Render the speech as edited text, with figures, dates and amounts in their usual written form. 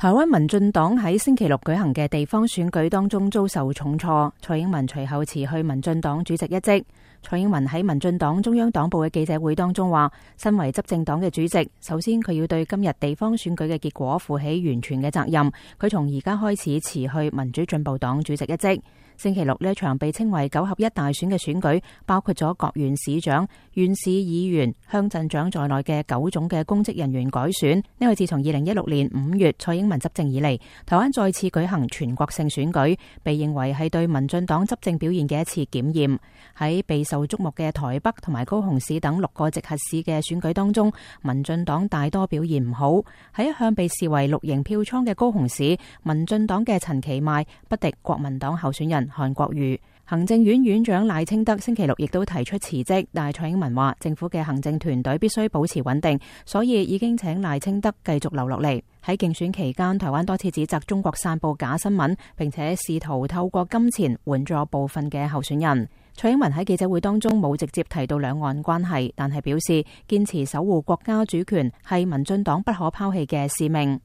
台灣民進黨喺星期六舉行嘅地方選舉當中遭受重挫，蔡英文隨後辭去民進黨主席一職。蔡英文喺民進黨中央黨部嘅記者會當中話，身為執政黨嘅主席，首先佢要對今日地方選舉嘅結果負起完全嘅責任。佢從而家開始辭去民主進步黨主席一職。星期六呢一場被稱為9合1大選嘅選舉，包括咗各縣市長、縣市議員、鄉鎮長在內嘅9種嘅公職人員改選。呢個自從2016年5月蔡英文執政以嚟，台灣再次舉行全國性選舉，被認為係對民進黨執政表現嘅一次檢驗。喺備受矚目嘅台北同埋高雄市等6個直轄市嘅選舉當中，民進黨大多表現唔好。喺一向被視為綠營票倉嘅高雄市，民進黨嘅陳其邁不敵國民黨候選人韓國瑜。行政院院長賴清德星期六亦都提出辭職，但係蔡英文話政府嘅行政團隊必須保持穩定，所以已經請賴清德繼續留落嚟。喺競選期間，台灣多次指責中國散布假新聞，並且試圖透過金錢援助部分嘅候選人。蔡英文喺記者會當中冇直接提到兩岸關係，但係表示堅持守護國家主權係民進黨不可拋棄嘅使命。